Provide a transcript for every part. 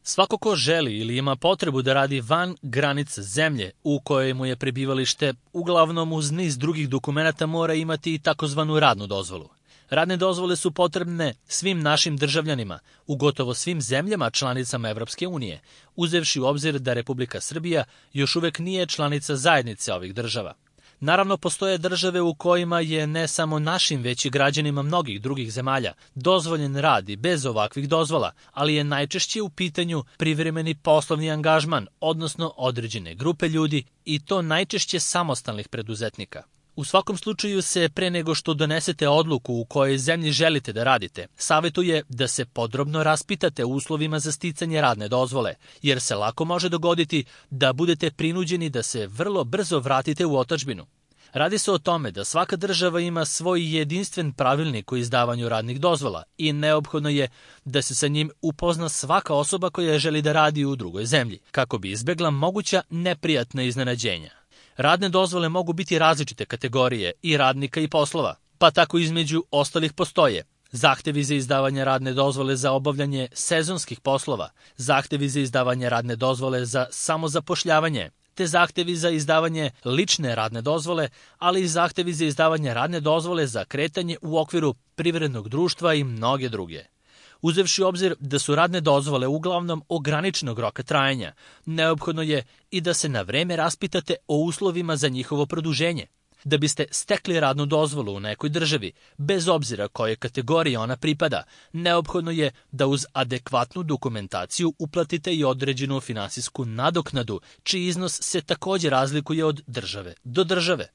Svako ko želi ili ima potrebu da radi van granica zemlje u kojoj mu je prebivalište, uglavnom uz niz drugih dokumenata mora imati i takozvanu radnu dozvolu. Radne dozvole su potrebne svim našim državljanima u gotovo svim zemljama članicama Evropske unije, uzevši u obzir da Republika Srbija još uvek nije članica zajednice ovih država. Naravno, postoje države u kojima je ne samo našim, već i građanima mnogih drugih zemalja dozvoljen rad i bez ovakvih dozvola, ali je najčešće u pitanju privremeni poslovni angažman, odnosno određene grupe ljudi i to najčešće samostalnih preduzetnika. U svakom slučaju se, pre nego što donesete odluku u kojoj zemlji želite da radite, savjetuje da se podrobno raspitate o uslovima za sticanje radne dozvole, jer se lako može dogoditi da budete prinuđeni da se vrlo brzo vratite u otadžbinu. Radi se o tome da svaka država ima svoj jedinstven pravilnik o izdavanju radnih dozvola i neophodno je da se sa njim upozna svaka osoba koja želi da radi u drugoj zemlji, kako bi izbegla moguća neprijatna iznenađenja. Radne dozvole mogu biti različite kategorije i radnika i poslova, pa tako između ostalih postoje zahtevi za izdavanje radne dozvole za obavljanje sezonskih poslova, zahtevi za izdavanje radne dozvole za samozapošljavanje, te zahtevi za izdavanje lične radne dozvole, ali i zahtevi za izdavanje radne dozvole za kretanje u okviru privrednog društva i mnoge druge. Uzevši u obzir da su radne dozvole uglavnom ograničenog roka trajanja, neophodno je i da se na vreme raspitate o uslovima za njihovo produženje. Da biste stekli radnu dozvolu u nekoj državi, bez obzira koje kategorije ona pripada, neophodno je da uz adekvatnu dokumentaciju uplatite i određenu finansijsku nadoknadu, čiji iznos se također razlikuje od države do države.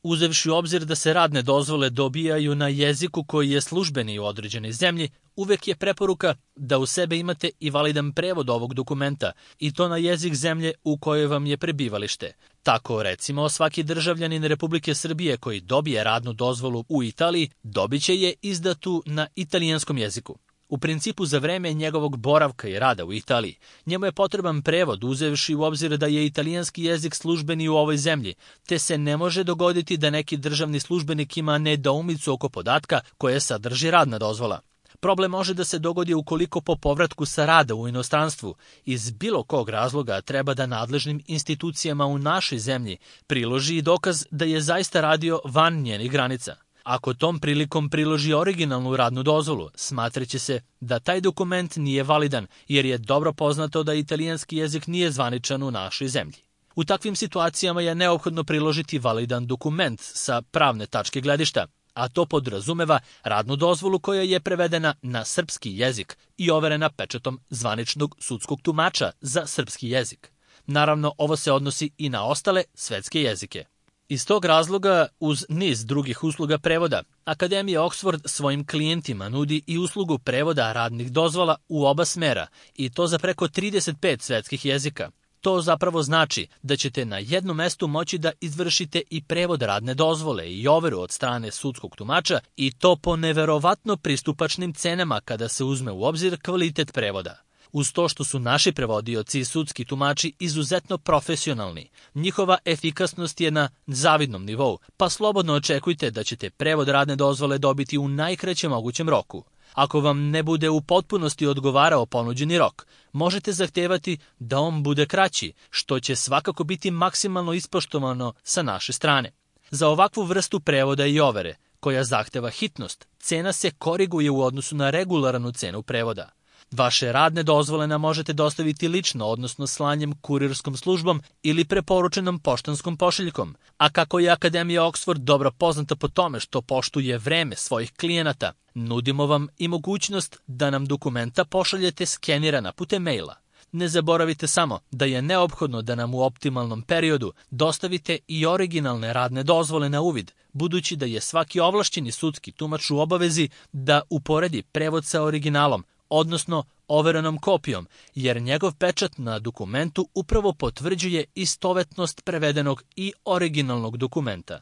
Uzevši u obzir da se radne dozvole dobijaju na jeziku koji je službeni u određenoj zemlji, uvek je preporuka da u sebe imate i validan prevod ovog dokumenta i to na jezik zemlje u kojoj vam je prebivalište. Tako, recimo, svaki državljanin Republike Srbije koji dobije radnu dozvolu u Italiji dobit će je izdatu na italijanskom jeziku. U principu, za vreme njegovog boravka i rada u Italiji, njemu je potreban prevod uzevši u obzir da je italijanski jezik službeni u ovoj zemlji, te se ne može dogoditi da neki državni službenik ima nedoumicu oko podatka koje sadrži radna dozvola. Problem može da se dogodi ukoliko po povratku sa rada u inostranstvu iz bilo kog razloga treba da nadležnim institucijama u našoj zemlji priloži i dokaz da je zaista radio van njenih granica. Ako tom prilikom priloži originalnu radnu dozvolu, smatraće se da taj dokument nije validan, jer je dobro poznato da italijanski jezik nije zvaničan u našoj zemlji. U takvim situacijama je neophodno priložiti validan dokument sa pravne tačke gledišta, a to podrazumeva radnu dozvolu koja je prevedena na srpski jezik i overena pečatom zvaničnog sudskog tumača za srpski jezik. Naravno, ovo se odnosi i na ostale svetske jezike. Iz tog razloga, uz niz drugih usluga prevoda, Akademija Oxford svojim klijentima nudi i uslugu prevoda radnih dozvola u oba smera, i to za preko 35 svetskih jezika. To zapravo znači da ćete na jednom mestu moći da izvršite i prevod radne dozvole i overu od strane sudskog tumača, i to po neverovatno pristupačnim cenama kada se uzme u obzir kvalitet prevoda. Uz to što su naši prevodioci i sudski tumači izuzetno profesionalni, njihova efikasnost je na zavidnom nivou, pa slobodno očekujte da ćete prevod radne dozvole dobiti u najkraćem mogućem roku. Ako vam ne bude u potpunosti odgovarao ponuđeni rok, možete zahtevati da on bude kraći, što će svakako biti maksimalno ispoštovano sa naše strane. Za ovakvu vrstu prevoda i overe, koja zahteva hitnost, cena se koriguje u odnosu na regularnu cenu prevoda. Vaše radne dozvole nam možete dostaviti lično, odnosno slanjem kurirskom službom ili preporučenom poštanskom pošiljkom. A kako je Akademija Oxford dobro poznata po tome što poštuje vreme svojih klijenata, nudimo vam i mogućnost da nam dokumenta pošaljete skenirana putem maila. Ne zaboravite samo da je neophodno da nam u optimalnom periodu dostavite i originalne radne dozvole na uvid, budući da je svaki ovlašćeni sudski tumač u obavezi da uporedi prevod sa originalom, odnosno overenom kopijom, jer njegov pečat na dokumentu upravo potvrđuje istovetnost prevedenog i originalnog dokumenta.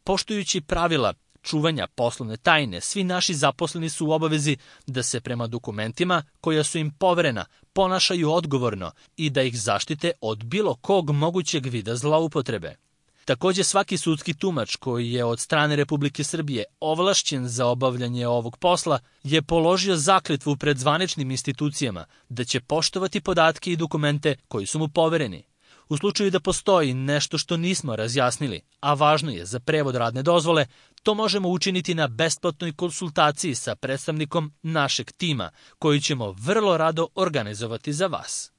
Poštujući pravila čuvanja poslovne tajne, svi naši zaposleni su u obavezi da se prema dokumentima koja su im poverena ponašaju odgovorno i da ih zaštite od bilo kog mogućeg vida zloupotrebe. Takođe, svaki sudski tumač koji je od strane Republike Srbije ovlašćen za obavljanje ovog posla je položio zakletvu pred zvaničnim institucijama da će poštovati podatke i dokumente koji su mu povereni. U slučaju da postoji nešto što nismo razjasnili, a važno je za prevod radne dozvole, to možemo učiniti na besplatnoj konsultaciji sa predstavnikom našeg tima, koju ćemo vrlo rado organizovati za vas.